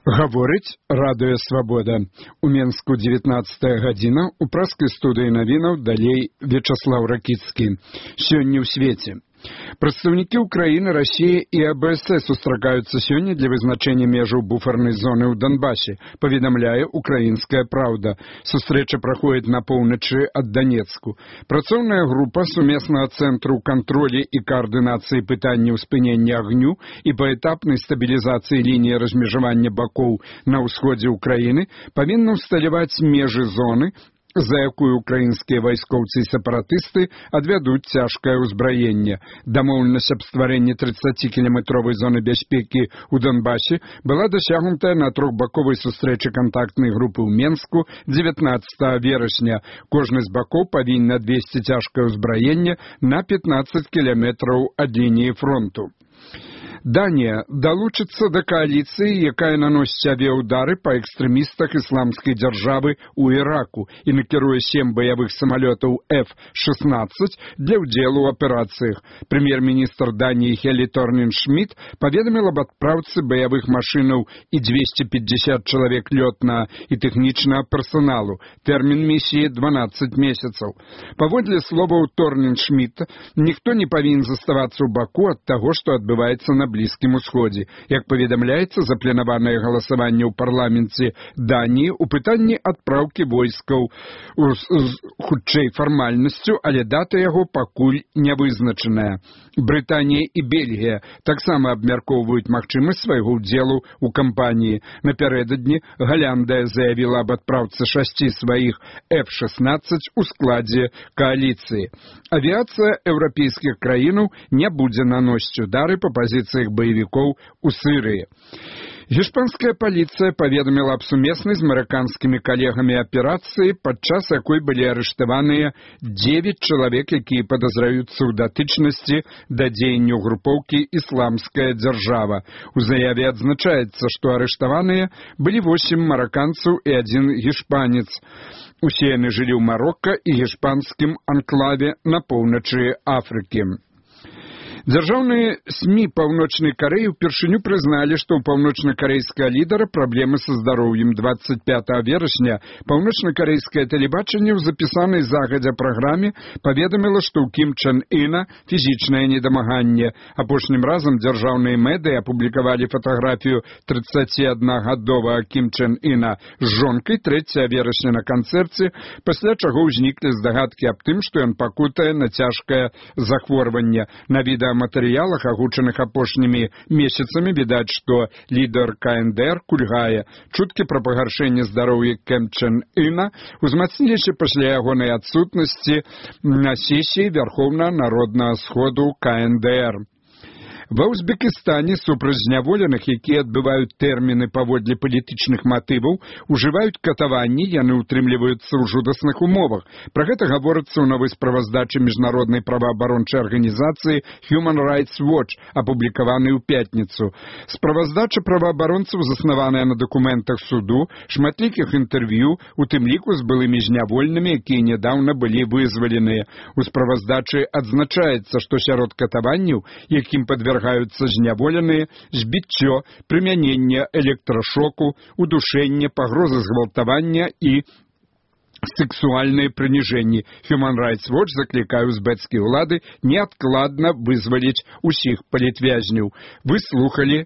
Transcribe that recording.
Гаворыць радыё «Свабода». У Менску 19 гадзіна, у праскай студыі навінаў далей Вячаслаў Ракіцкі. Сёння ў свеце. Прадстаўнікі Украіны, Расіі і АБС сустракаюцца сёння для вызначэння межаў буфернай зоны ў Донбасе, паведамляе «Украінская праўда». Сустрэча праходзіць на поўначы ад Данецку. Працоўная група сумеснага цэнтру кантролі і каардынацыі пытанняў спынення агню і паэтапнай стабілізацыі лініі размежавання бакоў на ўсходзе Украіны павінна ўсталяваць межы зоны, за якую украінскія вайскоўцы і сепаратысты адвядуць цяжкае ўзбраенне. Дамоўленасць аб стварэнні 30-кіламетровай зоны бяспекі ў Донбасе была дасягнутая на трохбаковай сустрэчы кантактнай групы ў Менску 19 верасня. Кожны з бакоў павінен адвесці цяжкае ўзбраенне на 15 кіламетраў ад лініі фронту. Данія далучыцца да кааліцыі, якая наносіць авіяўдары па экстрэмістах ісламскай дзяржавы ў Іраку і накіруе 7 баявых самалётаў F-16 для ўдзелу ў аперацыях. Прэм'ер-міністр Даніі Хелі Торнинг-Шмідт паведаміл аб адпраўцы баявых машынаў і 250 чалавек лётнага і тэхнічнага персаналу. Тэрмін місіі 12 месяцаў. Паводле словаў Торнинг-Шмідта, ніхто не павінен заставацца ў баку ад таго, што адбываецца на Блізкім усходзе. Як паведамляецца, запланаванае галасаванне ў парламенце Даніі ў пытанні адпраўкі войскаў хутчэй фармальнасцю, але дата яго пакуль не вызначаная. Брытанія і Бельгія таксама абмяркоўваюць магчымасць свайго ўдзелу ў кампаніі. Напярэдадні Галяндыя заявіла аб адпраўцы 6 сваіх F-16 у складзе кааліцыі. Авіацыя еўрапейскіх краінаў не будзе наносіць удары па пазіцыях баевікоў у Сірыі. Гішпанская паліцыя паведаміла аб сумеснай з амерыканскімі калегамі аперацыі, падчас якой былі арыштаваныя 9 чалавек, якія падазраюцца ў датычнасці да дзеянняў групоўкі «Ісламская дзяржава». У заяве адзначаецца, што арыштаваныя былі 8 мараканцаў і 1 гішпанец. Усе яны жылі ў Марокка і гішпанскім анклаве на поўначы Афрыкі. Дзяржаўныя СМІ Паўночнай Карэі ўпершыню прызналі, што ў паўночна-карэйскага лідара праблемы са здароўем. 25 верасня паўночна-карэйскае тэлебачанне ў запісанай загадзя праграме паведаміла, што ў Кім Чен Іна фізічнае недамаганне. Апошнім разам дзяржаўныя медыі апублікавалі фатаграфію 31-гадовага Кім Чен Іна з жонкай 3 верасня на канцэрце, пасля чаго ўзніклі здагадкі аб тым, што ён пакутае на цяжкае захворванне. На відэаматэрыялах, агучаных апошнімі месяцамі, відаць, што лідар КНДР кульгае. Чуткі пра пагаршэнне здароўя Кім Чен Іна узмацніліся пасля ягонай адсутнасці на сесіі Вярхоўнага народнага сходу КНДР. Ва Узбекістане супраць зняволеных, якія адбываюць тэрміны паводле палітычных матываў, ужываюць катаванні, яны ўтрымліваюцца ў жудасных умовах. Пра гэта гаворыцца ў новай справаздачы міжнароднай праваабарончай арганізацыі Human Rights Watch, апублікаванай у пятніцу. Справаздача праваабаронцаў заснаваная на дакументах суду, шматлікіх інтэрв'ю, у тым ліку з былымі зняволенымі, якія нядаўна былі вызваленыя. У справаздачы адзначаецца, што сярод катаванняў, якім падвяргаюцца зняволеныя, збіццё, прымяненне электрашоку, удушэнне, пагрозы згвалтавання і сексуальныя прыніжэнні. Human Rights Watch заклікае узбекскія ўлады неадкладна вызваліць усіх палітвязняў. Вы слухалі